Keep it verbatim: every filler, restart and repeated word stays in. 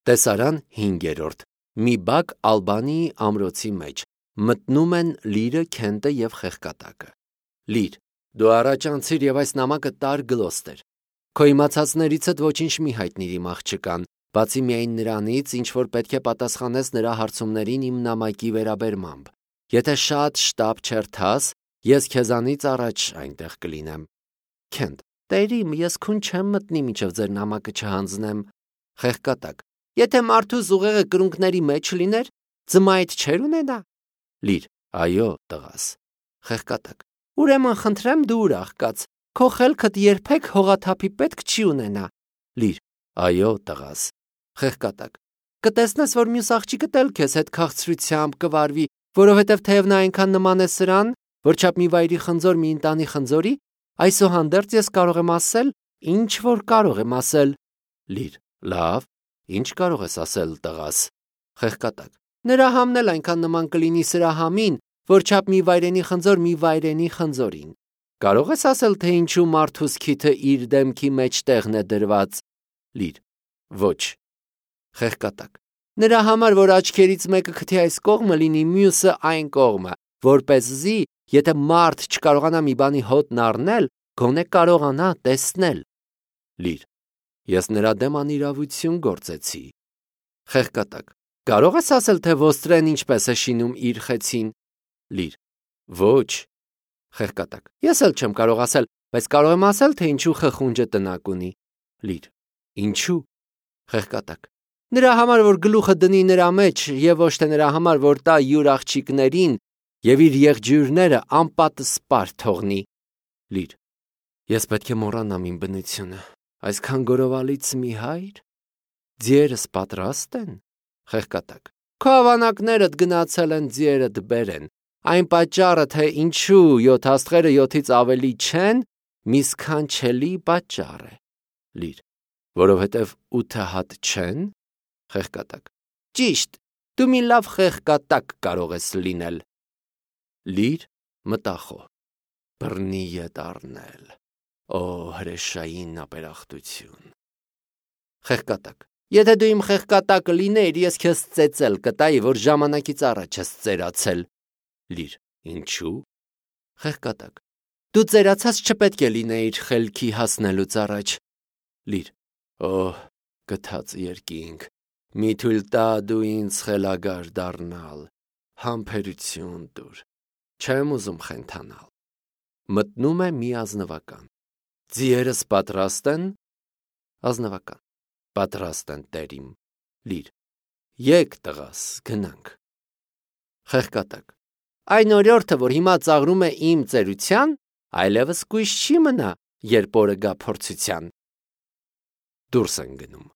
Տեսարան հինգերորդ. Մի բակ Ալբանիի ամրոցի մեջ մտնում են Լիրը, Քենտը և Խեղկատակը։ Լիր, դու առաջ անցիր և այս նամակը տար Գլոստեր։ Քո իմացածներիցդ ոչինչ մի հայտնիր իմ աղջկան, բացի միայն նրանից, ինչ որ պետք է պատասխանես նրա հարցումներին իմ նամակի վերաբերմամբ։ Եթե շատ շտապ չերթաս, ես քեզանից առաջ այնտեղ կլինեմ։ Քենտ, տերիմ, ես քուն չեմ մտնի մինչև ձեր նամակը չհանձնեմ։ Խեղկատակ, եթե մարդու զուղեղը կրունկների մեջ լիներ, ձմայդ չէր ունենա։ Լիր, այո, տղաս։ Խեղկատակ, ուրեմն խնդրեմ դու ուրախ կաց, քո խելքդ երբեք հողաթափի պետք չի ունենա։ Լիր, այո, տղաս։ Խեղկատակ, կտեսնես, որ մյուս աղջիկդ էլ քեզ հետ քաղցրությամբ կվարվի, որովհետև թեև նա այնքան նման է սրան, որչափ մի վայրի խնձոր մի ընտանի խնձորի, այսուհանդերձ ես կարող եմ ասել, ինչ որ կարող եմ ասել։ Լիր, լավ, ինչ կարող ես ասել, տղաս։ Խեղկատակ, նրա համն էլ այնքան նման կլինի սրա համին, որչափ մի վայրենի խնձոր մի վայրենի խնձորին։ Կարող ես ասել, թե ինչու մարդուս քիթը իր դեմքի մեջտեղն է դրված։ Լիր, ոչ։ Խեղկատակ, նրա համար, որ աչքերից մեկը քթի այս կողմը լինի, մյուսը այն կողմը, որպեսզի, եթե մարդ չկարողանա մի բանի հոտն առնել, գոնե կարողանա տեսնել։ Լիր, ես նրա դեմ անիրավություն գործեցի։ Խեղկատակ, կարող ես ասել, թե ոստրեն ինչպես է շինում իր խեցին։ Լիր, ոչ։ Խեղկատակ, ես էլ չեմ կարող ասել, բայց կարող եմ ասել, թե ինչու խխունջը տնակ ունի։ Լիր, ինչու։ Խեղկատակ, նրա համար, որ գլուխը դնի նրա մեջ, եւ ոչ թե նրա համար, որ տա յուր աղջիկներին եւ իր եղջյուրները անպատը սպար թողնի։ Լիր, ես պետք է մոռանամ իմ բնությունը, այսքան գորովալից մի հայր։ Ձիերս պատրաստ են։ Խեղկատակ, քո ավանակներդ գնացել են ձիերդ բերեն։ Այն պատճառը, թե ինչու յոթ աստղերը յոթից ավելի չեն, մի սքանչելի պատճառ է։ Լիր, որովհետև ութը հատ չեն։ Խեղկատակ, ճիշտ, դու մի լավ խեղկատակ կարող ես լինել։ Լիր, մտախոհ, բռնի ետ առնել, օ հրեշային ապերախտություն։ Խեղկատակ, եթե դու իմ խեղկատակը լինեիր, ես քեզ ծեծել կտայի, որ ժամանակից առաջ ես ծերացել։ Լիր, ինչու։ Խեղկատակ, դու ծերացած չպետք է լինեիր խելքի հասնելուց առաջ։ Լիր, օհ, գթած երկինք, մի թույլ տա դու ինձ խելագար դառնալ, համբերություն տուր, չեմ ուզում խենթանալ։ Մտնում է մի ազնվական։ Ձիերս պատրաստ են։ Ազնվական, պատրաստ են, տերիմ։ Լիր, եկ տղաս, գնանք։ Խեղկատակ, այն օրիորդը, որ հիմա ծաղրում է իմ ծերության, այլևս կույս չի մնա, երբ օրը գա փորձության։ Դուրս են գնում։